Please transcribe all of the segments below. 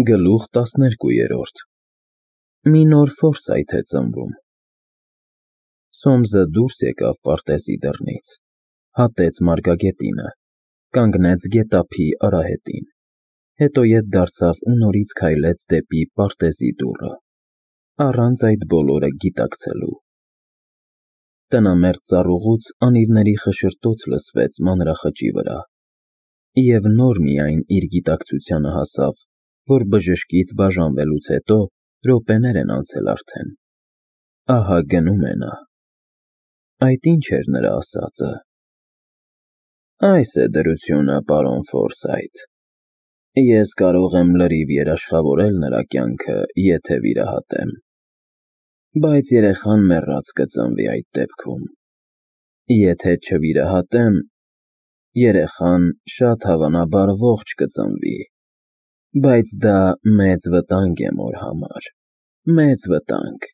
Գլուխ 12 Մի նոր Ֆորսայթ է ծնվում։ Սոմսը դուրս եկավ պարտեզի դռնից, հատեց մարգագետինը, կանգնեց գետափի արահետին, հետո ետ դարձավ ու նորից քայլեց դեպի պարտեզի դուռը, առանց այդ բոլորը գիտակցելու։ Տնամերձ ծառուղուց անիվների խշշտոց լսվեց մանրախճի վրա, և նոր միայն իր գիտակցությանը հասավ, որ բժշկից բաժանվելուց հետո րոպեներ են անցել արդեն։ Ահա գնում է նա։ Այդ ի՞նչ էր նրա ասածը։ Այս է դրությունը, պարոն Ֆորսայթ։ Ես կարող եմ լրիվ երաշխավորել նրա կյանքը, եթե վիրահատեմ, բայց երեխան մեռած կծնվի այդ դեպքում։ Եթե չվիրահատեմ, երեխան շատ հավանաբար ողջ կծնվի, բայց դա մեծ վտանգ է մոր համար, մեծ վտանգ։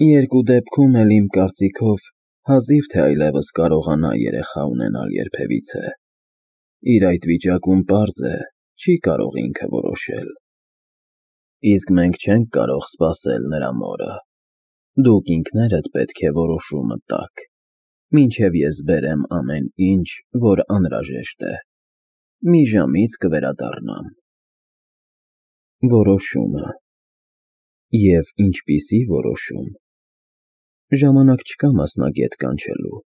Երկու դեպքում էլ իմ կարծիքով հազիվ թե այլևս կարողանա երեխա ունենալ երբևիցե։ Իր այդ վիճակում պարզ է, չի կարող ինքը որոշել։ Իսկ մենք չենք կարող սպասել նրա մորը։ Դուք ինքներդ պետք է որոշումը տաք, մինչև ես բերեմ ամեն ինչ, որ անհրաժեշտ է։ Մի ժամից կվերադառնամ։ Որոշումը։ Եվ ինչպիսի որոշում։ Ժամանակ չկա մասնագետ կանչելու։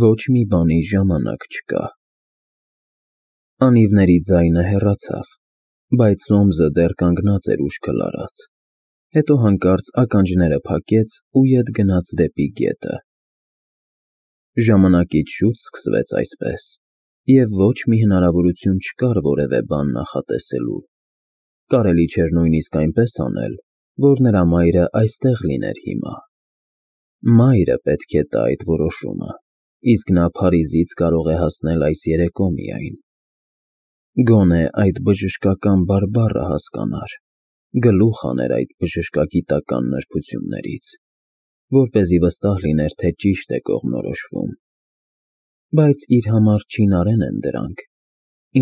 Ոչ մի բանի ժամանակ չկա։ Անիվների ձայնը հեռացավ, բայց Սոմսը դեռ կանգնած էր ուշքը լարած, հետո հանկարծ ականջները փակեց ու ետ գնաց դեպի գետը։ Ժամանակից շուտ սկսվեց այսպես, և ոչ մի հնարավորություն չկար որևէ բան նախատեսելու։ Կարելի չէր նույնիսկ այնպես անել, որ նրա մայրը այստեղ լիներ հիմա։ Մայրը պետք է տա այդ որոշումը, իսկ նա Փարիզից կարող է հասնել այս երեկո միայն։ Գոնե այդ բժշկական բարբառը հասկանար, գլուխ աներ այդ բժշկագիտական նրբություններից, որպեսզի վստահ լիներ, թե ճիշտ է կողմնորոշվում։ Բայց իր համար չինարեն են դրանք,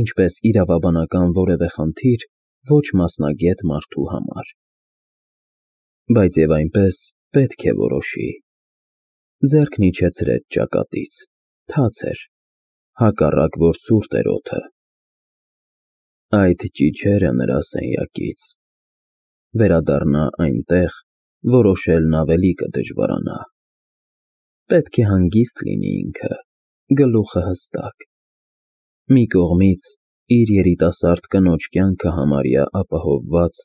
ինչպես իրավաբանական որևէ խնդիր ոչ մասնագետ մարդու համար։ Բայց և այնպես պետք է որոշի։ Ձեռքն իջեցրեց ճակատից, թաց էր, հակառակ որ ցուրտ էր օդը։ Այդ ճիչերը նրա սենյակից։ Վերադառնա այնտեղ, որոշելն ավելի կդժվարանա։ Պետք է հանգիստ լինի ինքը, գլուխը հստակ։ Մի կողմից իր երիտասարդ կնոջ կյանքը համարյա ապահովված,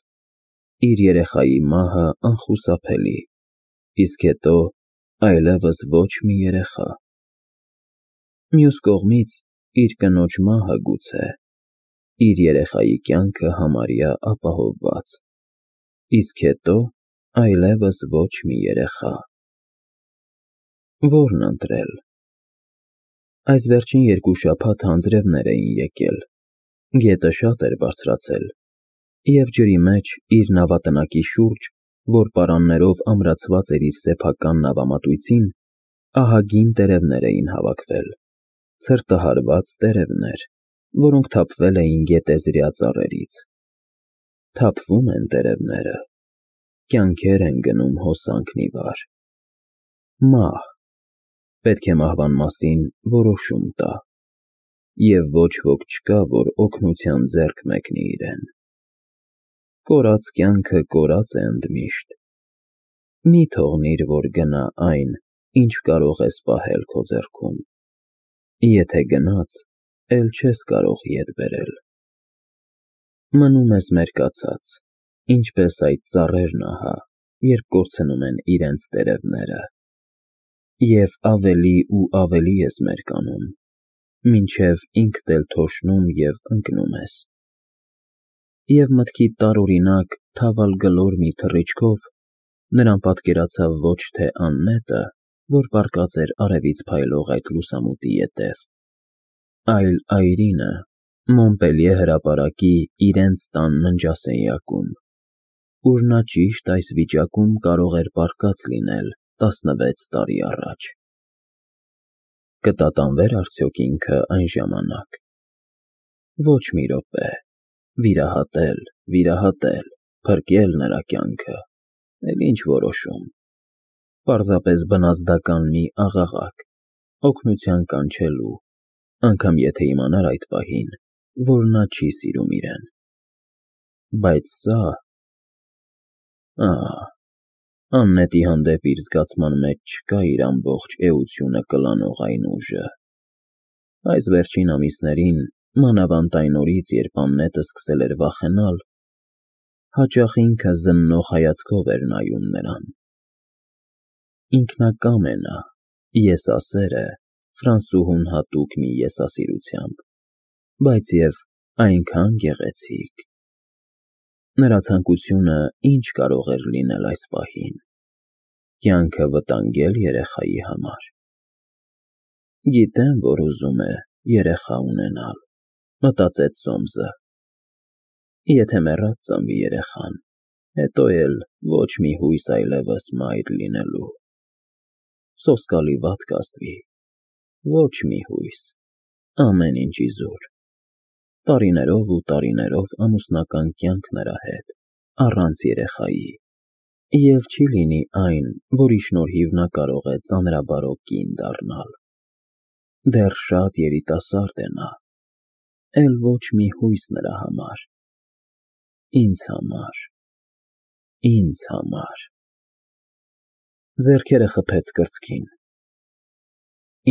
իր երեխայի մահը անխուսափելի, իսկ հետո այլևս ոչ մի երեխա։ Մյուս կողմից իր կնոջ մահը գուցե, իր երեխայի կյանքը համարյա ապահովված, իսկ հետո այլևս ոչ մի երեխա։ Ո՞րն ընտրել։ Այս վերջին երկու շաբաթ անձրևներ էին եկել, գետը շատ էր բարձրացել, և ջրի մեջ իր նավատնակի շուրջ, որ պարաններով ամրացված էր իր սեփական նավամատույցին, ահագին տերևներ էին հավաքվել, ցրտահարված տերևներ, որոնք թափվել էին գետեզրյա ծառերից։ Թափվում են տերևները, կյանքեր են գնում հոսանքն ի վար։ Մահ։ Պետք է մահվան մասին որոշում տա, և ոչ ոք չկա, որ օգնության ձեռք մեկնի իրեն։ Կորած կյանքը կորած է ընդմիշտ։ Մի թողնիր, որ գնա այն, ինչ կարող ես պահել քո ձեռքում։ Եթե գնաց, էլ չես կարող ետ բերել։ Մնում ես մերկացած, ինչպես այդ ծառերն ահա, երբ կորցնում են իրենց տերևները։ Եվ ավելի ու ավելի ես մերկանում, մինչև ինքդ էլ թոշնում և ընկնում ես։ Եվ մտքիդ տարօրինակ, թավալգլոր մի թռիչքով նրան պատկերացավ ոչ թե աննետը, որ պառկած էր արևից փայլող այդ լուսամուտի ետև, այլ այրինը Մոնպելիե հրապարակի իրենց տան ննջասենյակում, ուր նա ճիշտ այս վիճակում կարող էր պառկած լինել 16 տարի առաջ։ Կտատանվեր արդյոք ինքը այն ժամանակ։ Ոչ մի րոպե, վիրահատել, փրկել նրա կյանքը, էլ ինչ որոշում, պարզապես բնազդական մի աղաղակ, օգնության կանչելու, անգամ եթե իմանար այդ պահին, որ նա չի սիրում իրեն, բայց սա… Աննետի հանդեպ իր զգացման մեջ չկա իր ամբողջ էությունը կլանող այն ուժը… Այս վերջին ամիսներին, մանավանդ այն օրից, երբ Աննետը սկսել էր վախենալ, հաճախ ինքը զննող հայացքով էր նայում նրան… Ինքնակամ է նա, եսասեր է, ֆրանսուհուն հատուկ մի եսասիրությամբ, բայց և այնքան գեղեցիկ… Նրա ցանկությունը ինչ կարող էր լինել այս պահին… Կյանքը վտանգել երեխայի համար… Գիտեմ, որ ուզում է երեխա ունենալ, մտածեց Սոմսը, եթե մեռած ծնվի երեխան, հետո էլ ոչ մի հույս այլևս մայր լինելու… Սոսկալի վատ կազդվի, ոչ մի հույս, ամեն ինչ իզուր… Տարիներով ու տարիներով ամուսնական կյանք նրա հետ, առանց երեխայի… Եվ չի լինի այն, որի շնորհիվ նա կարող է ծանրաբարո կին դառնալ… Դեռ շատ երիտասարդ է նա, էլ ոչ մի հույս նրա համար… Ինձ համար… Ձեռքերը խփեց կրծքին…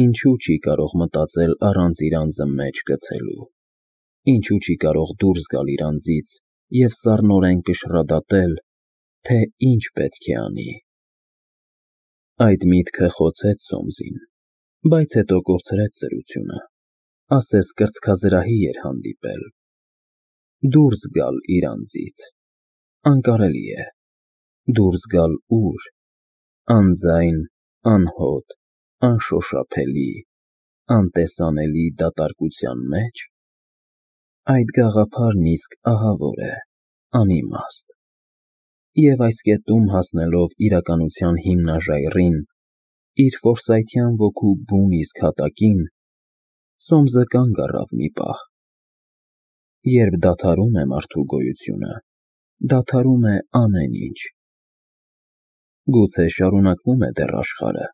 Ինչու չի կարող մտածել առանց իր անձը մեջ գցելու… Ինչու չի կարող դուրս գալ իր անձից և սառնորեն կշռադատել, թե ինչ պետք է անի… Այդ միտքը խոցեց Սոմսին, բայց հետո կորցրեց զրությունը, ասես կրծքազրահի էր հանդիպել… Դուրս գալ իր անձից… Անկարելի է… Դուրս գալ ու՞ր… Անձայն, անհոտ, անշոշափելի, անտեսանելի դատարկության մե՞ջ… Այդ գաղափարն իսկ ահավոր է, անիմաստ… Եվ այս կետում հասնելով իրականության հիմնաժայռին, իր ֆորսայթյան ոգու բուն իսկ հատակին, Սոմսը կանգ առավ մի պահ… Երբ դադարում է մարդու գոյությունը, դադարում է ամեն ինչ… Գուցե շարունակվում է դեռ աշխարհը,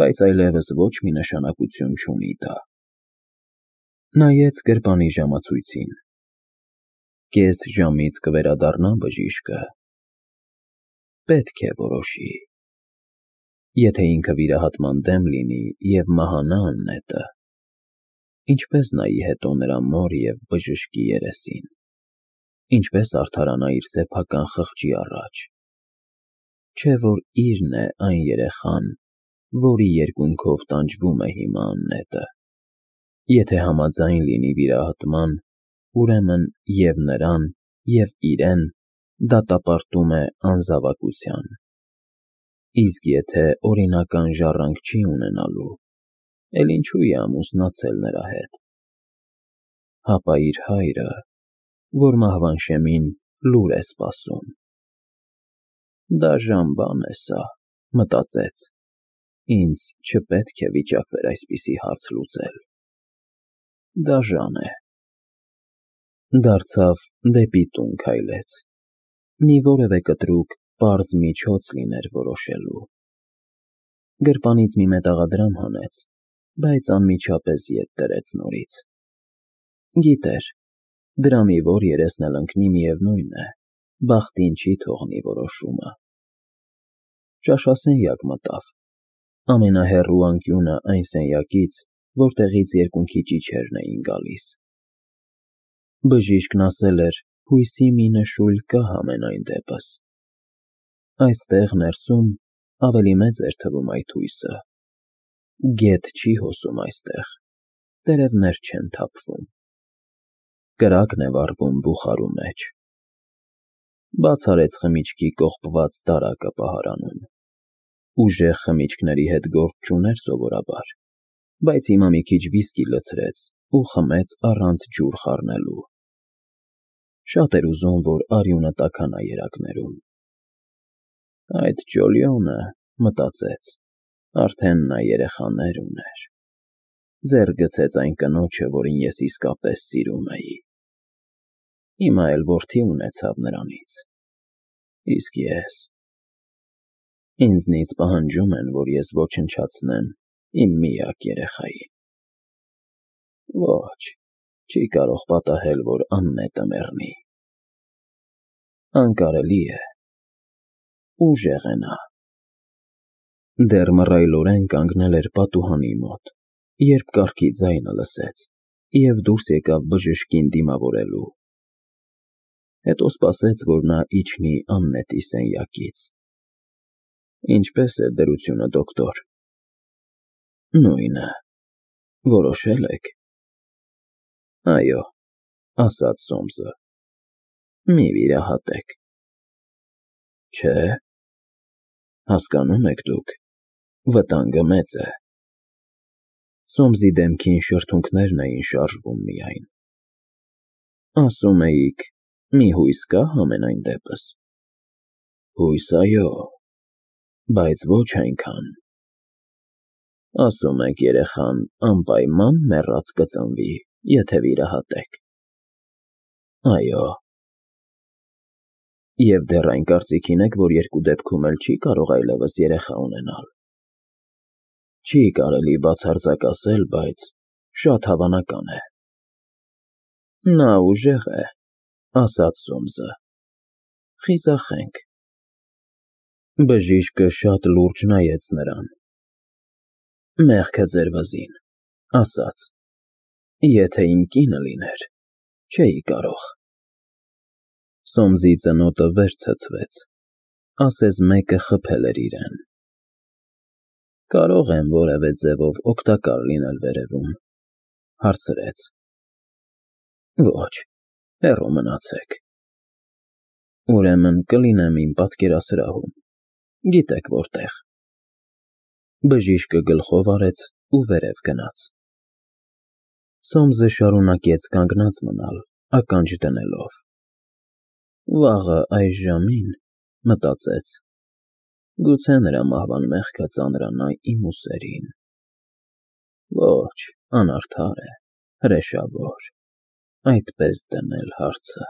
բայց այլևս ոչ մի նշանակություն չունի դա… Նայեց գրպանի ժամացույցին… Կես ժամից կվերադառնա բժիշկը… Պետք է որոշի… Եթե ինքը վիրահատման դեմ լինի և մահանա Աննետը, ինչպե՞ս նայի հետո նրա մոր և բժշկի երեսին… Ինչպե՞ս արդարանա իր սեփական խղճի առաջ… Չէ որ իրն է այն երեխան, որի երկունքով տանջվում է հիմա Աննետը… Եթե համաձայն լինի վիրահատման, ուրեմն և նրան, և իրեն դատապարտում է անզավակության… Իսկ եթե օրինական ժառանգ չի ունենալու, էլ ինչու է ամուսնացել նրա հետ… Հապա իր հայրը, որ մահվան շեմին լուր է սպասում… Դաժան բան է սա, մտածեց, ինձ չպետք է վիճակվեր այսպիսի հարց լուծել… Դաժան է… Դարձավ դեպի տուն քայլեց… Մի որևէ կտրուկ, պարզ միջոց լիներ որոշելու… Գրպանից մի մետաղադրամ հանեց, բայց անմիջապես ետ դրեց նորից… Գիտեր, դրամի որ երեսն էլ ընկնի միևնույն է, բախտին չի թողնի որոշումը… Ճաշասենյակ մտավ… Ամենահեռու անկյունը այն սենյակից, որտեղից երկունքի ճիչերն էին գալիս… Բժիշկն ասել էր հույսի մի նշույլ կա համենայն դեպս… Այստեղ ներսում ավելի մեծ էր թվում այդ հույսը… Գետ չի հոսում այստեղ, տերևներ չեն թափվում… Կրակն է վառվում բուխարու մեջ… Բաց արեց խմիչքի կողպված դարակը պահարանում… Ուժեղ խմիչքների հետ գործ չուներ սովորաբար, բայց հիմա մի քիչ վիսկի լցրեց ու խմեց առանց ջուր խառնելու… Շատ էր ուզում, որ արյունը տաքանա երակներում… Այդ Ջոլիոնը, մտածեց, արդեն նա երեխաներ ուներ… Ձեռք գցեց այն կնոջը, որին ես իսկապես սիրում էի… Հիմա էլ որդի ունեցավ նրանից։ Իսկ ես… Ինձնից պահանջում են, որ ես ոչնչացնեմ իմ միակ երեխային։ Ոչ, չի կարող պատահել, որ աննետը մեռնի։ Անկարելի է, ուժեղ է նա։ Դեռ մռայլորեն կանգնել էր պատուհանի մոտ, երբ կառքի ձայնը լսեց և դուրս եկավ բժշկին դիմավորելու։ Հետո սպասեց, որ նա իջնի Աննետի սենյակից։ Ինչպե՞ս է դրությունը, դոկտոր։ Նույնը։ Որոշել եք։ Այո, ասաց Սոմսը։ Մի վիրահատեք։ Չէ։ Հասկանում եք դուք, վտանգը մեծ է։ Սոմսի դեմքին շրթունքներն էին շարժվում միայն։ Ասում էիք, մի հույս կա համենայն դեպս։ Հույս, այո, բայց ոչ այնքան։ Ասում եք, երեխան անպայման մեռած կծնվի, եթե վիրահատեք։ Այո։ Եվ դեռ այն կարծիքին եք, որ երկու դեպքում էլ չի կարող այլևս երեխա ունենալ։ Չի կարելի բացարձակ ասել, բայց շատ հավանական է։ Նա ուժեղ է, ասաց Սոմսը։ Խիզախենք։ Բժիշկը շատ լուրջ նայեց նրան։ Մեղքը ձեր վզին, ասաց. Եթե իմ կինը լիներ, չէի կարող։ Սոմսի ծնոտը վեր ցցվեց, ասես մեկը խփել էր իրեն։ Կարող եմ որևէ ձևով օգտակար լինել վերևում, հարցրեց։ Ոչ, հեռու մնացեք։ Ուրեմն կլինեմ իմ պատկերասրահում, գիտեք որտեղ։ Բժիշկը գլխով արեց ու վերև գնաց։ Սոմսը շարունակեց կանգնած մնալ, ականջ դնելով։ Վաղը այս ժամին, մտածեց, գուցե նրա մահվան մեղքը ծանրանա իմ ուսերին։ Ոչ, անարդար է, հրեշավոր, այդպես դնել հարցը։